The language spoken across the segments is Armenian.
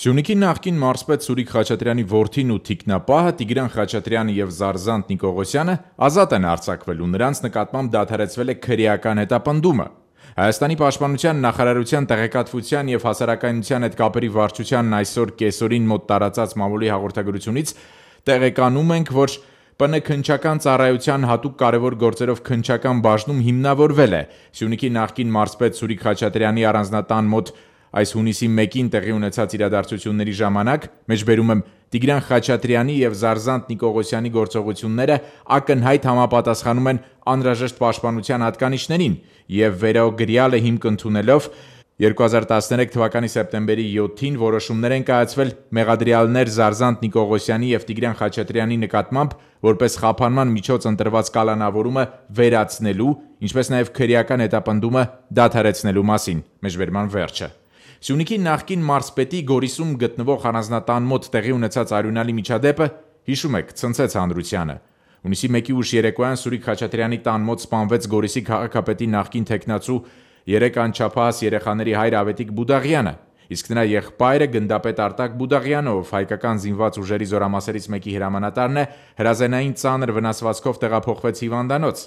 Սյունիքի նախկին մարզպետ Սուրիկ Խաչատրյանի որդին ու թիկնապահը Տիգրան Խաչատրյանը եւ Զարզանտ Նիկողոսյանը ազատ են արձակվել ու նրանց նկատմամբ դադարեցվել է քրեական հետապնդումը։ Հայաստանի պաշտպանության նախարարության տեղեկատվության եւ հասարակայնության հետ կապերի վարչությանն այսօր կեսօրին մոտ տարածած մամուլի հաղորդագրությունից տեղեկանում ենք, որ ՊՆ քննչական ծառայության հատուկ կարևոր գործերով քննչական բաժնում հիմնավորվել է Սյունիքի նախկին մարզպետ Սուրիկ Խաչատրյանի առանձնատան մոտ այս հունիսի 1-ին տեղի ունեցած իրադարձությունների ժամանակ, մեջբերում եմ Տիգրան Խաչատրյանի եւ Զարզանտ Նիկողոսյանի գործողությունները ակնհայտ համապատասխանում են անհրաժեշտ պաշտպանության հատկանիշներին եւ վերօգրյալը հիմք ընդունելով 2013 թվականի սեպտեմբերի 7-ին որոշումներ են կայացվել մեղադրյալներ Զարզանտ Նիկողոսյանի եւ Տիգրան Խաչատրյանի նկատմամբ որպես խափանման միջոց ընտրված կալանավորումը վերացնելու, ինչպես նաեւ քրեական հետապնդումը դադարեցնելու մասին։ Մեջբերման վերջը։ Սյունիքի նախկին մարզպետի Գորիսում գտնվող առանձնատան մոտ տեղի ունեցած արյունալի միջադեպը, հիշում եք, ցնցեց հանրությանը։ Հունիսի 1-ի ուշ երեկոյան Սուրիկ Խաչատրյանի տան մոտ սպանվեց Գորիսի քաղաքապետի նախկին թեկնածու 3 անչափահաս երեխաների հայր Ավետիք Բուդաղյանը, իսկ նրա եղբայրը գնդապետ Արտակ Բուդաղյանը, ով հայկական զինված ուժերի զորամասերից մեկի հրամանատարն է, հրազենային ծանր վնասվածքով տեղափոխվեց հիվանդանոց։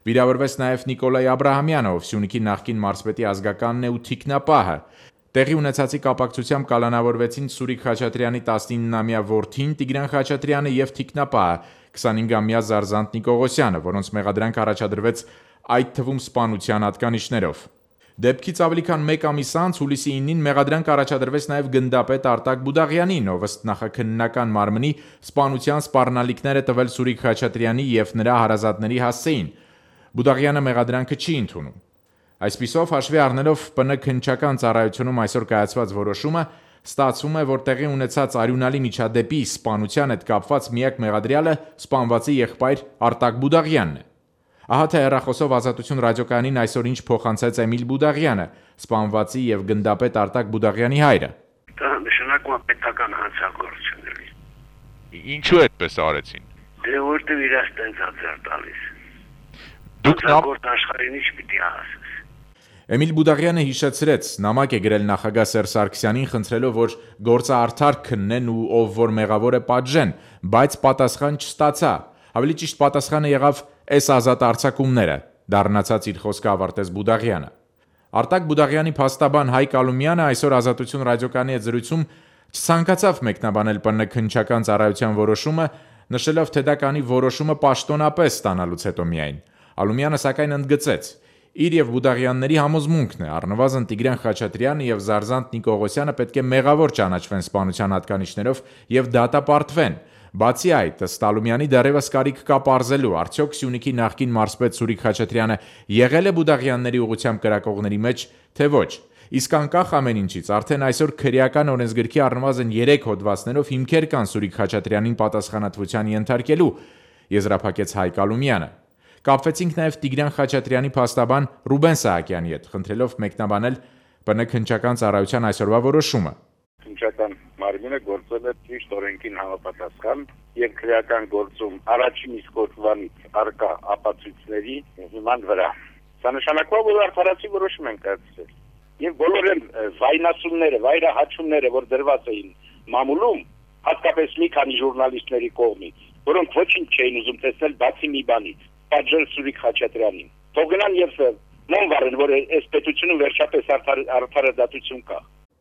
Վիրավորվեց նաև Նիկոլայ Աբրահամյանը, ով Սյունիքի նախկին մարզպետի ազգականն է ու թիկնապահը։ Տեղի ունեցածի կապակցությամբ կալանավորվեցին Սուրիկ Խաչատրյանի 19-ամյա որդին Տիգրան Խաչատրյանը եւ թիկնապահը 25-ամյա Զարզանտ Նիկողոսյանը, որոնց մեղադրանք առաջադրվեց այդ թվում սպանության հատկանիշներով։ Դեպքից ավելի քան 1 ամիս անց հուլիսի 9-ին մեղադրանք առաջադրվեց նաև գնդապետ Արտակ Բուդաղյանին, ով ըստ նախաքննական մարմնի սպանության սպառնալիքները տվել Սուրիկ Խաչատրյանի եւ նրա հարազատների հասցեին։ Բուդաղյանը մեղադրանքը չի ընդունում։ Այսպիսով, հաշվի առնելով ՊՆ քննչական ծառայությունում այսօր կայացված որոշումը, ստացվում է, որ տեղի ունեցած արյունալի միջադեպի սպանության հետ կապված միակ մեղադրյալը սպանվածի եղբայր Արտակ Բուդաղյանն է։ Ահա թե հեռախոսով Ազատություն ռադիոկայանին այսօր ինչ փոխանցեց Էմիլ Բուդաղյանը, սպանվածի եւ գնդապետ Արտակ Բուդաղյանի հայրը։ Դա նշանակում է պետական հանցագործությունների։ Ինչու այդպես արեցին։ Դե որտեղ իրաց տենց հացար տալիս։ Դուք գործ աշխարհին ինչ պիտի ասես։ Էմիլ Բուդաղյանը հիշեցրեց, նամակ է գրել նախագահ Սերժ Սարգսյանին խնդրելով, որ գործը արդար քննեն ու ով որ մեղավոր է պատժեն, բայց պատասխան չստացա։ Ավելի ճիշտ պատասխանը եղավ «էս ազատ արձակումները», դառնացած իր խոսքը ավարտեց Բուդաղյանը։ Արտակ Բուդաղյանի փաստաբան Հայկ Ալումյանը այսօր Ազատություն ռադիոկայանի հետ զրույցում չցանկացավ մեկնաբանել ՊՆ քննչական ծառայության որոշումը, նշելով, թե դա կանի որոշումը պաշտոնապես ստանալուց հետո միայն։ Ալումյանը սակայն ընդգծեց. իր եւ Բուդաղյանների համոզմունքն է, առնվազն Տիգրան Խաչատրյանը եւ Զարզանտ Նիկողոսյանը պետք է մեղավոր ճանաչվեն սպանության հատկանիշներով եւ դատապարտվեն։ Բացի այդ, ըստ Ալումյանի դեռևս կարիք կա պարզելու, արդյոք Սյունիքի նախկին մարզպետ Սուրիկ Խաչատրյանը եղել է Բուդաղյանների ուղղությամբ կրակողների մեջ, թե ոչ։ Իսկ անկախ ամեն ինչից, արդեն այսօր քրեական օրենսգրքի առնվազն 3 հոդվածներով հիմքեր կան Սուրիկ Խաչատրյանին պատասխանատվության ենթարկելու, եզրափակեց Հայկ Ալումյանը։ Կապվեցինք նաև Տիգրան Խաչատրյանի փաստաբան Ռուբեն Սահակյանի հետ, խնդրելով մեկնաբանել ՊՆ քննչական ծառայության այսօրվա որոշումը։ Քննչական մարմինը գործել է ճիշտ օրենքին համապատասխան եւ քրեական գործում առաջին իսկ օրվանից արկա ապացույցների հիման վրա։ Սա նշանակում է, որ արդարացի որոշում են կայացրել։ Եվ բոլոր վայնասունները, վայրահաչումները, որ դրված էին մամուլում, հատկապես մի քանի ժուրնալիստների կողմից, որոնք ոչինչ չէին ուզում տեսնել բացի մի բանից՝ պատժել Սուրիկ Խաչատրյանին։ Թող գնան եւ նոմ վարեն, որ այս պետությունում վերջապես արդարադատություն կա։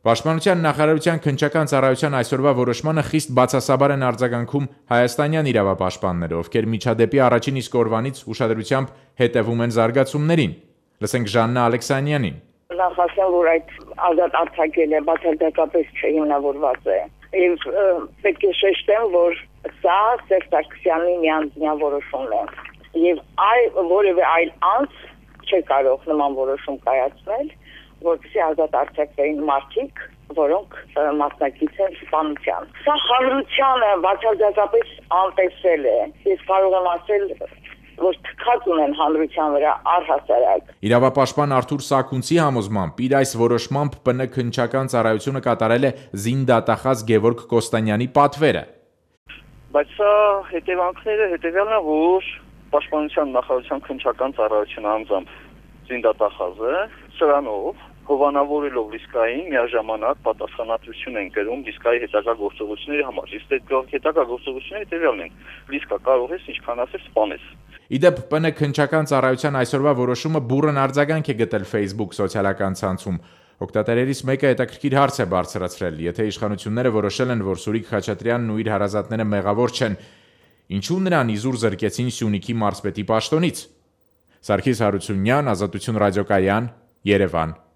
Պաշտպանության նախարարության քննչական ծառայության այսօրվա որոշմանը խիստ բացասաբար են արձագանքում հայաստանյան իրավապաշտպանները, ովքեր միջադեպի առաջին իսկ օրվանից ուշադրությամբ հետևում են զարգացումներին։ Լսենք Ժաննա Ալեքսանյանին։ Նախասեմ, որ այդ ազատ արձակելը բացարձակապես չհիմնավորված է։ Եվ պետք է շեշտեմ, որ սա Սերժ Սարգսյանի միանձնյա որոշումն է։ Եվ որևէ այլ անձ չի կարող նման որոշում կայացնել, որպեսզի ազատ արձակվեն մարդիկ, որոնք մասնակից են սպանության։ Սա հանրությանը բացարձակապես անտեսել է։ Ես կարող եմ ասել, որ թքած ունեն հանրության վրա առհասարակ։ Իրավապաշտպան Արթուր Սաքունցի համոզմամբ իր այս որոշմամբ ՊՆ քննչական ծառայությունը կատարել է զինդատախազ Գևորգ Կոստանյանի պատվերը։ Բայց սա հետևանքները հետևյալն է, որ Պաշտպանության նախարարության քննչական ծառայությունը անձամբ զինդատախազը սրանով հովանավորելով Լիսկային միաժամանակ պատասխանատվություն են կրում Լիսկայի հետագա գործողությունների համար։ Իսկ այդ հետագա գործողությունները տևյալն են։ Լիսկա կարող ես ինչքան ասես սպանես։ Իդեպ ՊՆ քննչական ծառայության այսօրվա որոշումը բուռն արձագանք է գտել Facebook սոցիալական ցանցում։ Օգտատերերից մեկը հետաքրքիր հարց է բարձրացրել. եթե իշխանությունները որոշել են, որ Սուրիկ Խաչատրյանն ու իր հարազատները մեղավոր չեն, ինչու նրան իզուր զրկեցին Սյունիքի մարզպետի պաշտոնից։ Սարգիս Հարությունյան, Ազատություն ռադիոկայան, Երևան։